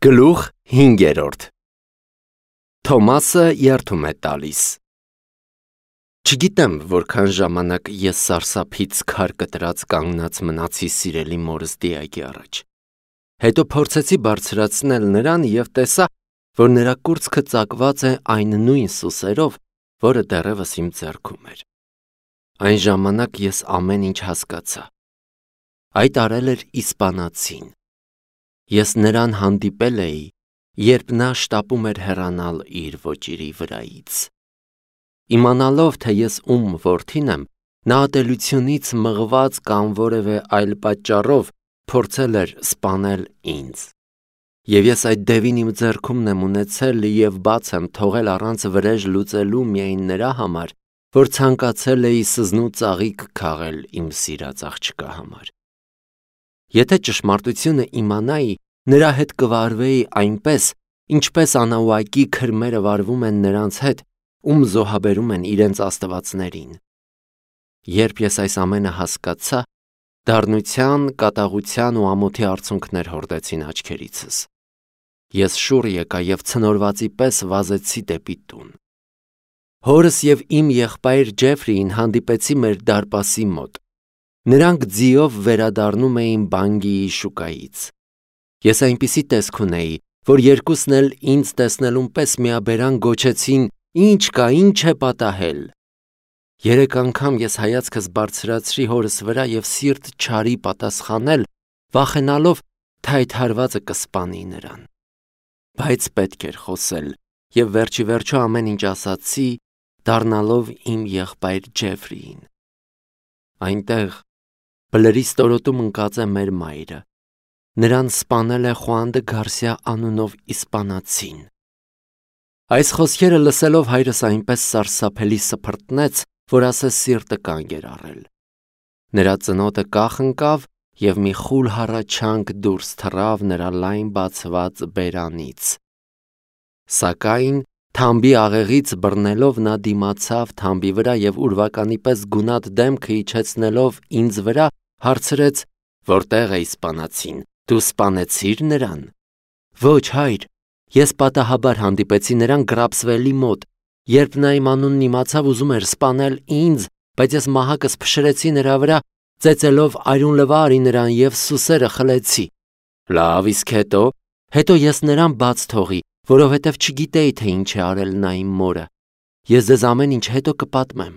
Գլուխ 5. Թոմասը երդում է տալիս։ Չգիտեմ, որքան ժամանակ ես սարսափից քար կտրած կանգնած մնացի սիրելի մորս դիակի առաջ։ Հետո փորձեցի բարձրացնել նրան և տեսա, որ նրա կուրծքը ծակված է այն նույն սուսերով, որը դեռևս իմ ձեռքում էր։ Այն ժամանակ ես ամեն ինչ հասկացա։ Այդ արել էր իսպանացին։ Ես նրան հանդիպել էի, երբ նա շտապում էր հեռանալ իր ոճիրի վրայից։ Իմանալով, թե ես ում որդին եմ, նա ատելությունից մղված կամ որևէ այլ պատճառով փորձել էր սպանել ինձ։ Եվ ես այդ դևին իմ ձեռքումն եմ ունեցել և բաց եմ թողել առանց վրեժ լուծելու միայն նրա համար, որ ցանկացել էի սզնու ծաղիկ քաղել իմ սիրած աղջկա համար։ Եթե ճշմարտությունը իմանայի, նրա հետ կվարվեի այնպես, ինչպես անաուակի քրմերը վարվում են նրանց հետ, ում զոհաբերում են իրենց աստվածներին։ Երբ ես այս ամենը հասկացա, դառնության, կատաղության ու ամոթի արցունքներ հորդեցին աչքերիցս։ Ես շուռ եկա և ցնորվածի պես վազեցի դեպի տուն։ Հորս և իմ եղբայր Ջեֆրիին հանդիպեցի մեր դարպասի մոտ։ Նրանք ձիով վերադառնում էին Բանգիի շուկայից։ Ես այնպիսի տեսք ունեի, որ երկուսն էլ ինձ տեսնելուն պես միաբերան գոչեցին. «Ինչ կա, ինչ է պատահել»։ 3 անգամ ես հայացքս բարձրացրի հորս վրա և սիրտ չարի պատասխանել, վախենալով, թե այդ հարվածը կսպանի նրան։ Բայց պետք էր խոսել, և վերջիվերջո ամեն ինչ ասացի, դառնալով իմ եղբայր Ջեֆրիին։ Այնտեղ բլրի ստորոտում ընկած է մեր մայրը։ Նրան սպանել է Խուան դը Գարսիա անունով իսպանացին։ Այս խոսքերը լսելով հայրս այնպես սարսափելի սփռտնեց, որ ասես սիրտը կանգ էր առել։ Նրա ծնոտը կախ ընկավ և մի խուլ հառաչանք դուրս թռավ նրա լայն բացված բերանից։ Սակայն թամբի աղեղից բռնելով նա դիմացավ թամբի վրա և ուրվականի պես գունատ դեմքը իջեցնելով ինձ վրա, հարցրեց. «Որտե՞ղ է իսպանացին, դու սպանեցի՞ր նրան»։ «Ոչ, հայր, ես պատահաբար հանդիպեցի նրան Գրապսվելի մոտ, երբ նա իմ անունն իմացավ, ուզում էր սպանել ինձ, բայց ես մահակս փշրեցի նրա վրա, ծեծելով արյուն լվա արի նրան և սուսերը խլեցի»։ «Լավ, իսկ հետո»։ «Հետո ես նրան բաց թողի, որովհետև չգիտեի, թե ինչ է արել նա իմ մորը։ Ես ձեզ ամեն ինչ հետո կպատմեմ»։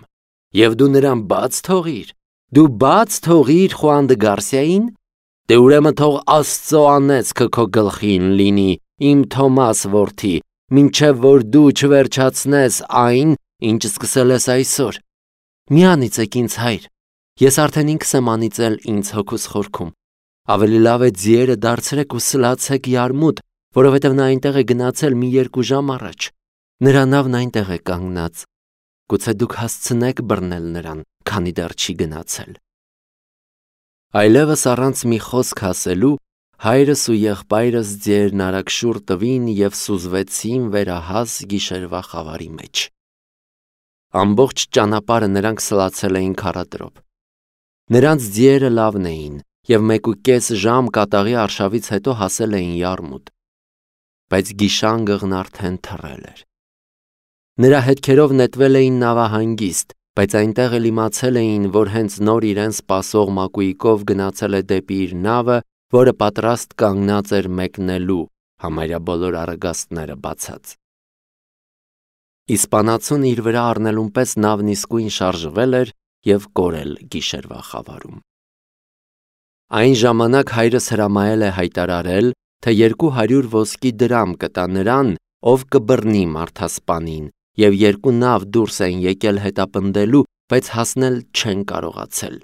«Եվ դու նրան բաց թողիր։ Դու բաց թողիր Խուան դը Գարսիային։ Դե ուրեմն թող Աստծո անեծքը քո գլխին լինի, իմ Թոմաս որդի, մինչև որ դու չվերջացնես այն, ինչ սկսել ես այսօր։ Մի անիծեք ինձ, հայր, ես արդեն ինքս եմ անիծել ինձ հոգուս խորքում։ Ավելի լավ է ձիերը դարձրեք ու սլացեք Յարմուտ, որովհետև նա այնտեղ է գնացել մի 2 ժամ առաջ։ Նրա նավն այնտեղ է կանգնած։ Գուցե դուք հասցնեք բռնել նրան, քանի դեռ չի գնացել»։ Այլևս առանց մի խոսք ասելու, հայրս ու եղբայրս ձիերն արագ շուռ տվին և սուզվեցին վերահաս գիշերվա խավարի մեջ։ Ամբողջ ճանապարհը նրանք սլացել էին քարադրոփ։ Նրանց ձիերը լավն էին և 1.5 ժամ կատաղի արշավից հետո հասել էին Յարմուտ։ Բայց գիշանգղն արդեն թռել էր։ Նրա հետքերով նետվել էին նավահանգիստ, բայց այնտեղ էլ իմացել էին, որ հենց նոր իրեն սպասող մակույկով գնացել է դեպի իր նավը, որը պատրաստ կանգնած էր մեկնելու, համարյա բոլոր առագաստները բացած։ Իսպանացուն իր վրա առնելուն պես նավն իսկույն շարժվել էր և կորել գիշերվա խավարում։ Այն ժամանակ հայրս հրամայել է հայտարարել, թե 200 ոսկի դրամ կտա նրան, ով կբռնի մարդասպանին, և 2 նավ դուրս էին եկել հետապնդելու, բայց հասնել չեն կարողացել։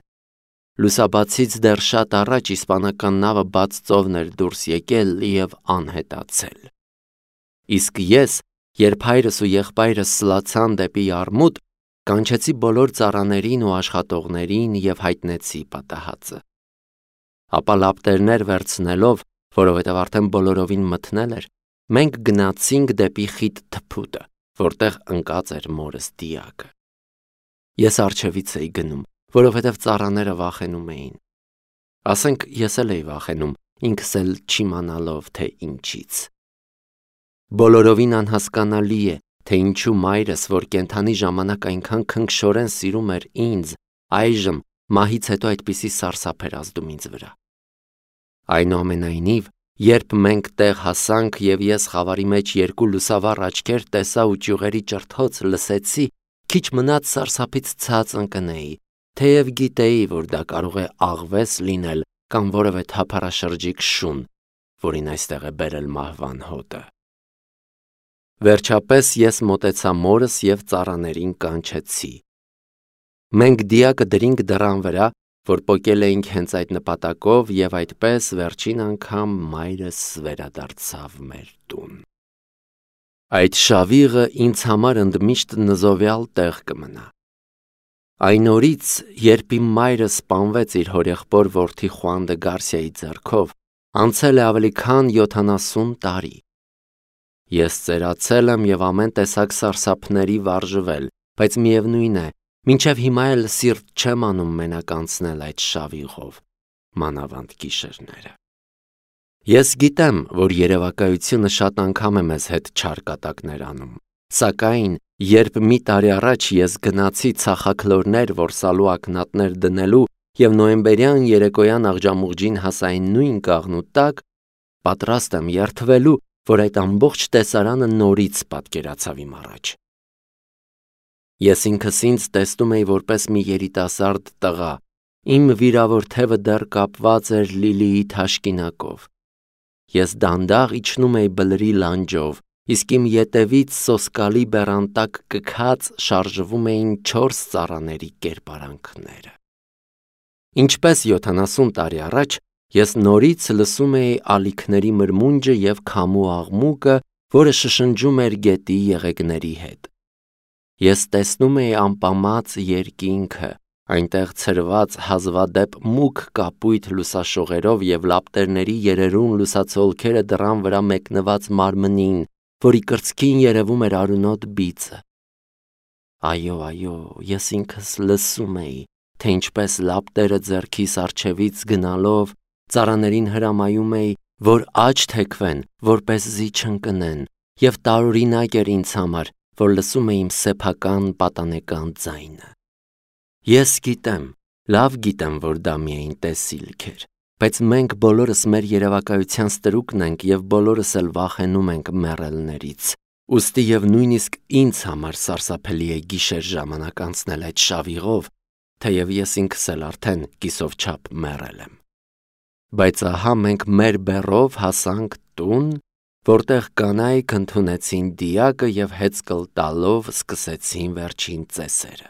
Լուսաբացից դեռ շատ առաջ իսպանական նավը բաց ծովն էր դուրս եկել և անհետացել։ Իսկ ես, երբ հայրս ու եղբայրս սլացան դեպի Յարմուտ, կանչեցի բոլոր ծառաներին ու աշխատողներին և հայտնեցի պատահածը։ Ապա լապտերներ վերցնելով, որովհետև արդեն բոլորովին մթնել էր, մենք գնացինք դեպի խիտ թփուտը, որտեղ ընկած էր մորս դիակը։ Ես առջևից էի գնում, որովհետև ծառաները վախենում էին։ Ասենք ես էլ էի վախենում, ինքս էլ չիմանալով, թե ինչից։ Բոլորովին անհասկանալի է, թե ինչու մայրս, որ կենդանի ժամանակ այնքան քնքշորեն սիրում էր ինձ, այժմ մահից հետո այդպիսի սարսափ էր ազդում ինձ վրա։ Այնուամենայնիվ, երբ մենք տեղ հասանք և ես խավարի մեջ երկու լուսավառ աչքեր տեսա ու ճյուղերի ճրթոց լսեցի, քիչ մնաց սարսափից ցած ընկնեի, թեև գիտեի, որ դա կարող է աղվես լինել կամ որևէ թափառաշրջիկ շուն, որին այստեղ է բերել մահվան հոտը։ Վերջապես ես մոտեցա մորս և ծառաներին կանչեցի։ Մենք դիակը դրինք դռան վրա, որ պոկել էինք հենց այդ նպատակով, և այդպես վերջին անգամ մայրս վերադարձավ մեր տուն։ Այդ շավիղը ինձ համար ընդմիշտ նզովյալ տեղ կմնա։ Այն օրից, երբ իմ մայրը սպանվեց իր հորեղբոր որդի Խուան դը Գարսիայի ձեռքով, անցել է ավելի քան 70 տարի։ Ես ծերացել եմ և ամեն տեսակ սարսափների վարժվել, բայց միևնույն է, մինչև հիմա էլ սիրտ չեմ անում մենակ անցնել այդ շավիղով, մանավանդ գիշերները։ Ես գիտեմ, որ երևակայությունը շատ անգամ է մեզ հետ չար կատակներ անում, սակայն երբ մի տարի առաջ ես գնացի ցախաքլորներ որսալու ակնատներ դնելու և նոյեմբերյան երեկոյան աղջամուղջին հասա այն նույն կաղնու տակ, պատրաստ եմ երդվելու, որ այդ ամբողջ տեսարանը նորից պատկերացավ իմ առաջ։ Ես ինքս ինձ տեսնում էի որպես մի երիտասարդ տղա, իմ վիրավոր թևը դեռ կապված էր Լիլիի թաշկինակով։ Ես դանդաղ իջնում էի բլրի լանջով, իսկ իմ ետևից սոսկալի բեռան տակ կքած շարժվում էին 4 ծառաների կերպարանքները։ Ինչպես 70 տարի առաջ, ես նորից լսում էի ալիքների մրմունջը և քամու աղմուկը, որը շշնջում էր գետի եղեգների հետ։ Ես տեսնում էի ամպամած երկինքը, այնտեղ ցրված հազվադեպ մուգ կապույտ լուսաշողերով և լապտերների երերուն լուսացոլքերը դռան վրա մեկնված մարմնին, որի կրծքին երևում էր արյունոտ բիծը։ Այո, ես ինքս լսում էի, թե ինչպես լապտերը ձեռքիս առջևից գնալով ծառաներին հրամայում էի, որ աջ թեքվեն, որպեսզի չընկնեն, և տարօրինակ էր ինձ համար, որ լսում էի իմ սեփական պատանեկան ձայնը։ Ես գիտեմ, լավ գիտեմ, որ դա միայն տեսիլք էր, բայց մենք բոլորս մեր երևակայության ստրուկն ենք և բոլորս էլ վախենում ենք մեռելներից, ուստի և նույնիսկ ինձ համար սարսափելի է գիշեր ժամանակ անցնել այդ շավիղով, թեև ես ինքս էլ արդեն կիսով չափ մեռել եմ։ Բայց ահա մենք մեր բեռով հասանք տուն, որտեղ կանայք ընդունեցին դիակը և հեծկլ տալով սկսեցին վերջին ծեսերը։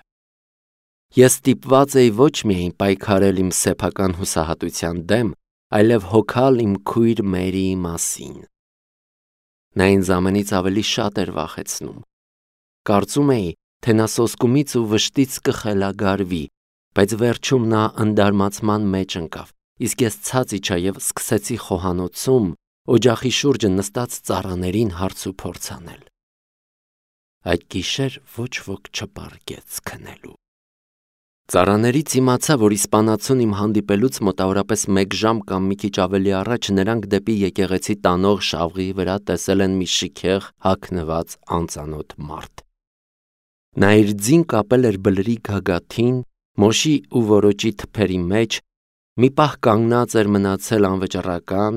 Ես ստիպված էի ոչ միայն պայքարել իմ սեփական հուսահատության դեմ, այլև հոգալ իմ քույր Մերիի մասին։ Նա ինձ ամենից ավելի շատ էր վախեցնում։ Կարծում էի, թե նա սոսկումից ու վշտից կխելագարվի, բայց վերջում նա ընդարմացման մեջ ընկավ, իսկ ես ցած իջա և սկսեցի խոհանոցում օջախի շուրջը նստած ծառաներին հարց ու փորձ անել։ Այդ գիշեր ոչ ոք չպառկեց քնելու։ Ծառաներից իմացա, որ իսպանացուն իմ հանդիպելուց մոտավորապես 1 ժամ կամ մի քիչ ավելի առաջ նրանք դեպի եկեղեցի տանող շավղի վրա տեսել են մի շքեղ հագնված անծանոթ մարդ։ Նա իր ձին կապել էր բլրի գագաթին, մոշի ու որոճի թփերի մեջ, մի պահ կանգնած էր մնացել անվճռական,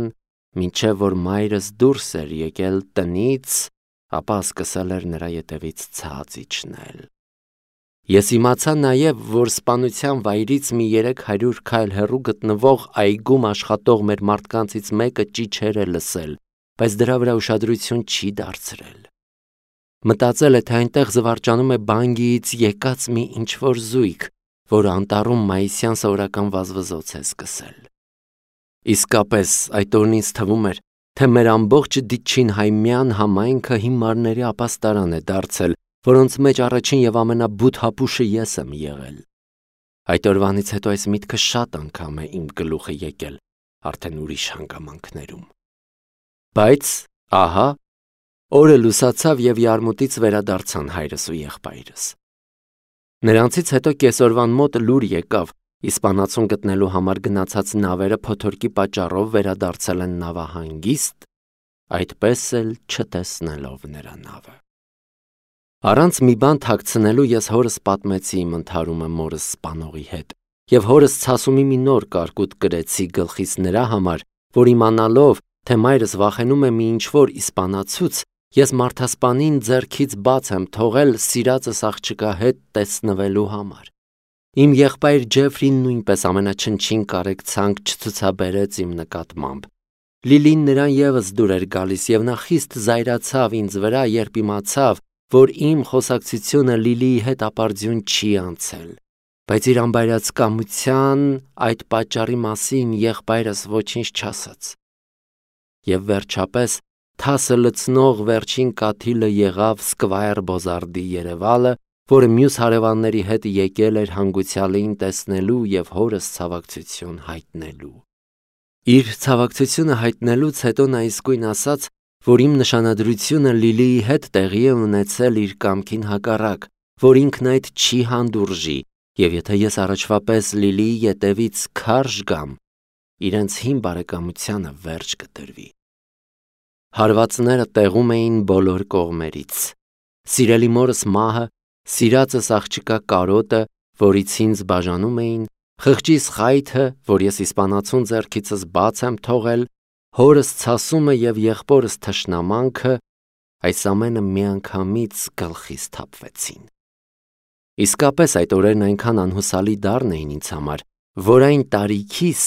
մինչև որ մայրս դուրս էր եկել տնից, ապա սկսել էր նրա ետևից ցած իջնել։ Ես իմացա նաև, որ սպանության վայրից մի 300 քայլ հեռու գտնվող այգում աշխատող մեր մարդկանցից մեկը ճիչեր է լսել, բայց դրա վրա ուշադրություն չի դարձրել։ Մտածել է, թե այնտեղ զվարճանում է բանգիից եկած մի ինչ-որ զույգ, որ անտառում մայիսյան սովորական վազվզոց է սկսել։ Իսկապես, այդ օրն ինձ թվում էր, թե մեր ամբողջ Դիչինհայմյան համայնքը հիմարների ապաստարան է դարձել, որոնց մեջ առաջին և ամենաբութ հապուշը ես եմ եղել։ Այդ օրվանից հետո այս միտքը շատ անգամ է իմ գլուխը եկել, արդեն ուրիշ հանգամանքներում։ Բայց, ահա, օրը լուսացավ և յարմուտից վերադարձան հայրս ու եղբայրս։ Նրանցից հետո կեսօրվան մոտ լուր եկավ, իսպանացուն գտնելու համար գնացած նավերը փոթորկի պատճառով վերադարձել են նավահանգիստ, այդպես էլ չտեսնելով նրա նավը։ Առանց մի բան թաքցնելու ես հորս պատմեցի իմ ընդհարումը մորս սպանողի հետ, և հորս ցասումի մի նոր կարկուտ կրեցի գլխիս նրա համար, որ իմանալով, թե մայրս վախենում է մի ինչ-որ իսպանացուց, ես մարդասպանին ձեռքից բաց եմ թողել սիրածս աղջկա հետ տեսնվելու համար։ Իմ եղբայր Ջեֆրին նույնպես ամենաչնչին կարեկցանք չցուցաբերեց իմ նկատմամբ։ Լիլին նրան ևս դուր էր գալիս, և նա խիստ զայրացավ ինձ վրա, երբ իմացավ, որ իմ խոսակցությունը Լիլիի հետ ապարդյուն չի անցել, բայց իր անբայրացկամության այդ պատճառի մասին եղբայրս ոչինչ չասաց։ Եվ վերջապես թասը լցնող վերջին կաթիլը եղավ Սկվայր Բոզարդի երևալը, որը մյուս հարևանների հետ եկել էր հանգուցյալին տեսնելու և հորս ցավակցություն հայտնելու։ Իր ցավակցությունը հայտնելուց հետո նա իսկույն ասաց, որ իմ նշանադրությունը Լիլիի հետ տեղի է ունեցել իր կամքին հակառակ, որ ինքն այդ չի հանդուրժի, և եթե ես առաջվա պես Լիլիի ետևից քարշ գամ, իրենց հին բարեկամությանը վերջ կտրվի։ Հարվածները տեղում էին բոլոր կողմերից։ Սիրելի մորս մահը, սիրածս աղջկա կարոտը, որից ինձ բաժանում էին, խղճիս խայթը, որ ես իսպանացուն ձեռքիցս բաց եմ թողել, հորս ցասումը և եղբորս թշնամանքը, այս ամենը միանգամից գլխիս թափվեցին։ Իսկապես այդ օրերն այնքան անհուսալի դառն էին ինձ համար, որ այն տարիքիս,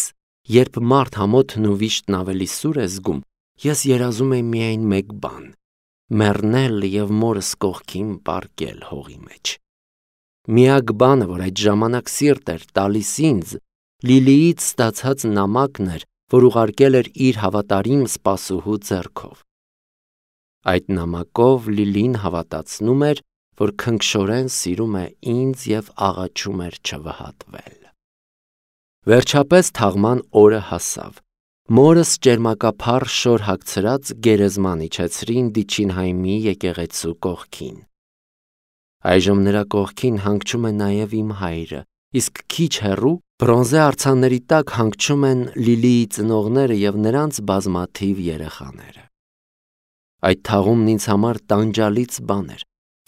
երբ մարդ համոթն ու վիշտն ավելի սուր է զգում, ես երազում էի միայն մեկ բան՝ մեռնել և մորս կողքին պառկել հողի մեջ։ Միակ բանը, որ այդ ժամանակ սիրտ էր տալիս ինձ, Լիլիից ստացած նամակն էր, որ ուղարկել էր իր հավատարիմ սպասուհու ձեռքով։ Այդ նամակով Լիլին հավատացնում էր, որ քնքշորեն սիրում է ինձ և աղաչում էր չվհատվել։ Վերջապես թաղման օրը հասավ։ Մորս ճերմակափառ շոր հագցրած գերեզման իջեցրին Դիչինհայմի եկեղեցու կողքին։ Այժմ նրա կողքին հանգչում է նաև իմ հայրը, իսկ քիչ հեռու բրոնզե արձանների տակ հանգչում են Լիլիի ծնողները և նրանց բազմաթիվ երեխաները։ Այդ թաղումն ինձ համար տանջալից բան էր։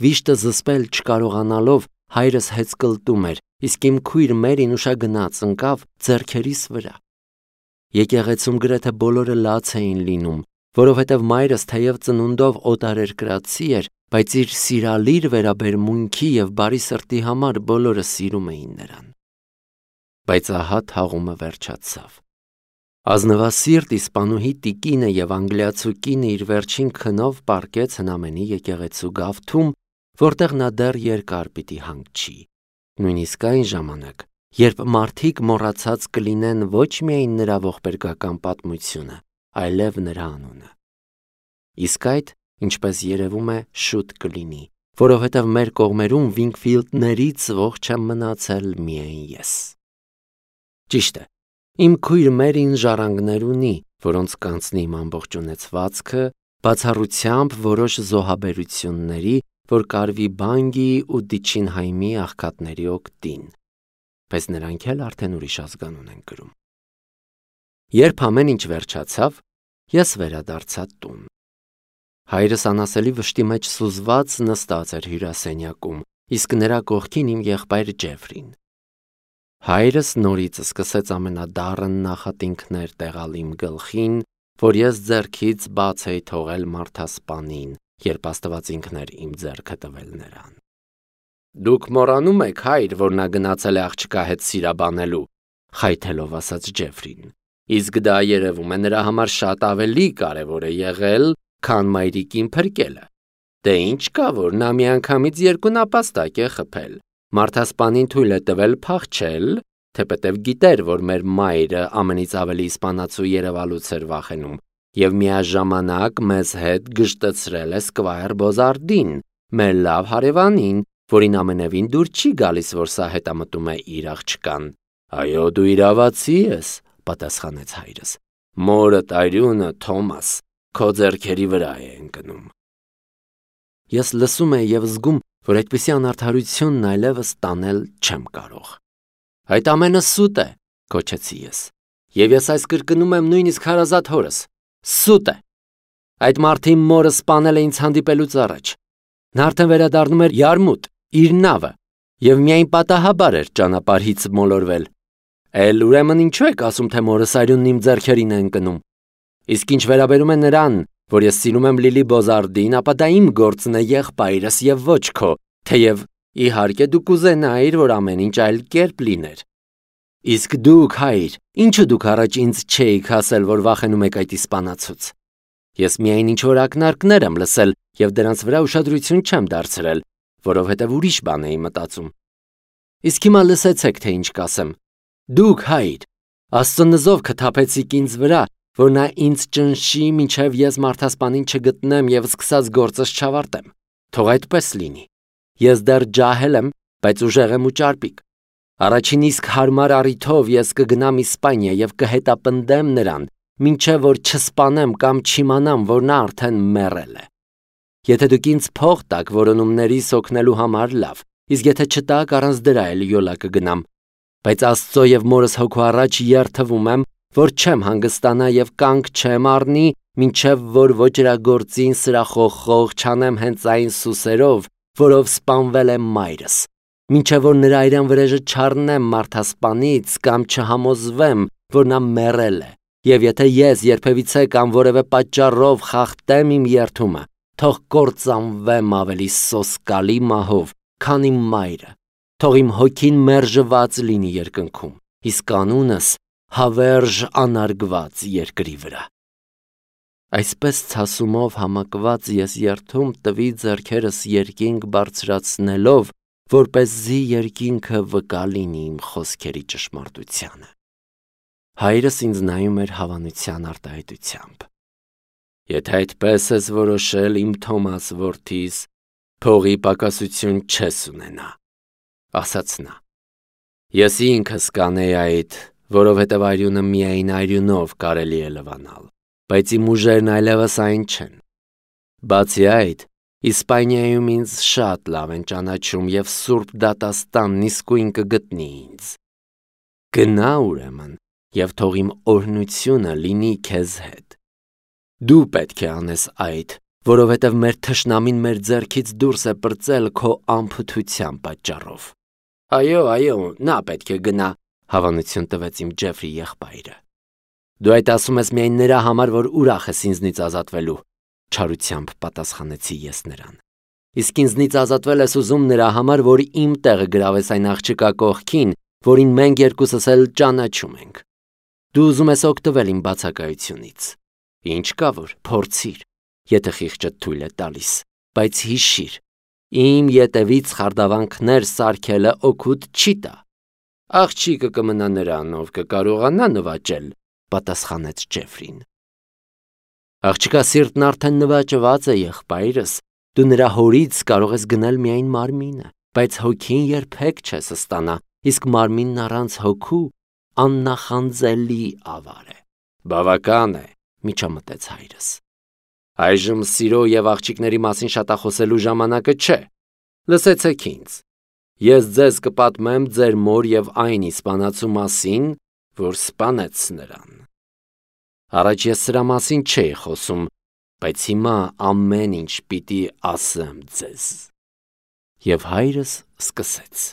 Վիշտը զսպել չկարողանալով հայրս հեծկլտում էր, իսկ իմ քույր Մերին ուշագնաց ընկավ ձեռքերիս վրա։ Եկեղեցում գրեթե բոլորը լաց էին լինում, որովհետև մայրս թեև ծնունդով օտարերկրացի էր, բայց իր սիրալիր վերաբերմունքի և բարի սրտի համար բոլորը սիրում էին նրան։ Բայց ահա թաղումը վերջացավ։ Ազնվասիրտ իսպանուհի տիկինը և անգլիացու կինը իր վերջին քնով պառկեց հնամենի եկեղեցու գավթում, որտեղ նա դեռ երկար պիտի հանգչի, նույնիսկ այն ժամանակ, երբ մարդիկ մոռացած կլինեն ոչ միայն նրա ողբերգական պատմությունը, այլև նրա անունը։ Իսկ այդ, ինչպես երևում է, շուտ կլինի, որովհետև մեր կողմերում Վինքֆիլդներից ողջ եմ մնացել միայն ես։ Ճիշտ է, իմ քույր Մերին ժառանգներ ունի, որոնց կանցնի իմ ամբողջ ունեցվածքը, բացառությամբ որոշ զոհաբերությունների, որ կարվի Բանգի ու Դիչինհայմի աղքատների օգտին, բայց նրանք էլ արդեն ուրիշ ազգանուն են կրում։ Երբ ամեն ինչ վերջացավ, ես վերադարձա տուն։ Հայրս անասելի վշտի մեջ սուզված նստած էր հյուրասենյակում, իսկ նրա կողքին իմ եղբայր Ջեֆրին։ Հայրս նորից սկսեց ամենադառն նախատինքներ տեղալ իմ գլխին, որ ես ձեռքից բաց էի թողել մարդասպանին, երբ Աստված ինքն էր իմ ձեռքը տվել նրան։ Դուք մոռանում եք, հայր, որ նա գնացել է աղջկա հետ սիրաբանելու, խայթելով ասաց Ջեֆրին։ Իսկ դա երևում է նրա համար շատ ավելի կարևոր է եղել, քան մայրիկին փրկելը։ Դե ինչ կա, որ նա միանգամից երկու նապաստակ է խփել։ Մարդասպանին թույլ է տվել փախչել, թեպետև գիտեր, որ մեր մայրը ամենից ավելի իսպանացու երևալուց էր վախենում, և միաժամանակ մեզ հետ գժտցրել է Սկվայր Բոզարդին, մեր լավ հարևանին, որին ամենևին դուր չի գալիս, որ սա հետամտում է իր աղջկան։ Այո, դու իրավացի ես, պատասխանեց հայրս։ Մորդ արյունը, Թոմաս, քո ձեռքերի վրա է ընկնում։ Ես լսում էի և զգում, որ այդպիսի անարդարությունն այլևս տանել չեմ կարող։ Այդ ամենը սուտ է, գոչեցի ես, և ես այս կրկնում եմ նույնիսկ հարազատ հորս, սուտ է։ Այդ մարդին մորը սպանել է ինձ հանդիպելուց առաջ։ Նա արդեն վերադառնում էր Յարմուտ, իր նավը, եւ միայն պատահաբար էր ճանապարհից մոլորվել։ Էլ ուրեմն ինչու եք ասում, թե մորս արյունն իմ ձեռքերին է ընկնում։ Իսկ ինչ վերաբերում է նրան, որ ես սիրում եմ Լիլի Բոզարդին, ապա դա իմ գործն է, եղբայրս եւ ոչ քո, թեև իհարկե դու կուզենայիր, որ ամեն ինչ այլ կերպ լիներ։ Իսկ դուք, հայր, ինչու դուք առաջ ինձ չէիք ասել, որ վախենում եք այդ իսպանացուց։ Ես միայն ինչ-որ ակնարկներ եմ լսել եւ դրանց վրա ուշադրություն չեմ դարձրել, որովհետեւ ուրիշ բան էի մտածում։ Իսկ հիմա լսեցեք, թե ինչ կասեմ։ Դուք, հայր, Աստծո նզով կթափեցիք ինձ վրա, որ նա ինձ ճնշի, մինչև ես մարդասպանին չգտնեմ եւ սկսած գործս չավարտեմ։ Թող այդպես լինի։ Ես դեռ ջահել եմ, բայց ուժեղ եմ ու ճարպիկ։ Առաջին իսկ հարմար առիթով ես կգնամ Իսպանիա եւ կհետապնդեմ նրան, մինչև որ չսպանեմ կամ չիմանամ, որ նա արդեն մեռել է։ Եթե դուք ինձ փող տաք որոնումներիս օգնելու համար, լավ, իսկ եթե չտաք, առանց դրա էլ յոլա կգնամ։ Բայց Աստծո եւ մորս հոգու առաջ երթվում եմ, որ չեմ հանգստանա եւ կանգ չեմ առնի, մինչև որ ոճրագործին սրախոխող չանեմ հենց այն սուսերով, որով սպանվել է մայրս, մինչև որ նրա այրան վրեժը չառնեմ մարդասպանից կամ չհամոզվեմ, որ նա մեռել է։ Եվ եթե ես երբևիցե կամ որևէ պատճառով խախտեմ իմ երթումը, թող կործանվեմ ավելի սոսկալի մահով, քան իմ մայրը, թող իմ հոգին մերժված լինի երկնքում, իսկ անունս հավերժ անարգված երկրի վրա։ Այսպես ցասումով համակված ես երթում տվի ձեռքերս երկինք բարձրացնելով, որպեսզի երկինքը վկա լինի իմ խոսքերի ճշմարտությանը։ Հայրս ինձ նայում էր հավանության արտահայտությամբ։ Եթե այդպես ես որոշել, իմ Թոմաս որդիս, փողի պակասություն չես ունենա, ասաց նա։ Ես ինքս կանեի այդ, որովհետև արյունը միայն արյունով կարելի է լվանալ, բայց իմ ուժերն այլևս այն չեն։ Բացի այդ, Իսպանիայում ինձ շատ լավ են ճանաչում եւ Սուրբ դատաստանն իսկույն կգտնի ինձ։ Գնա ուրեմն եւ թող իմ օրհնությունը լինի քեզ հետ։ Դու պետք է անես այդ, որովհետև մեր թշնամին մեր ձեռքից դուրս է պրծել քո անփութության պատճառով։ Այո, նա պետք է գնա, հավանություն տվեց իմ Ջեֆրի եղբայրը։ Դու այդ ասում ես միայն նրա համար, որ ուրախ ես ինձնից ազատվելու, չարությամբ պատասխանեցի ես նրան։ Իսկ ինձնից ազատվել ես ուզում նրա համար, որ իմ տեղը գրավես այն աղջկա կողքին, որին մենք երկուսս էլ ճանաչում ենք։ Դու ուզում ես օգտվել իմ բացակայությունից։ Ինչ կա որ, փորձիր, եթե խիղճդ թույլ է տալիս, բայց հիշիր, իմ ետևից խարդավանքներ սարքելը օգուտ չի տա։ Աղջիկը կմնա նրան, ով կկարողանա նվաճել, պատասխանեց Ջեֆրին։ Աղջկա սիրտն արդեն նվաճված է, եղբայրս, դու նրա հորից կարող ես գնել միայն մարմինը, բայց հոգին երբեք չես ստանա, իսկ մարմինն առանց հոգու աննախանձելի ավար է։ Բավական է, միջամտեց հայրս։ Այժմ սիրո եւ աղջիկների մասին շատախոսելու ժամանակը չէ։ Լսեցեք ինձ։ Ես ձեզ կպատմեմ ձեր մոր եւ այն իսպանացու մասին, որ սպանեց նրան։ Առաջ ես սրա մասին չէի խոսում, բայց հիմա ամեն ինչ պիտի ասեմ ձեզ։ Եվ հայրս սկսեց։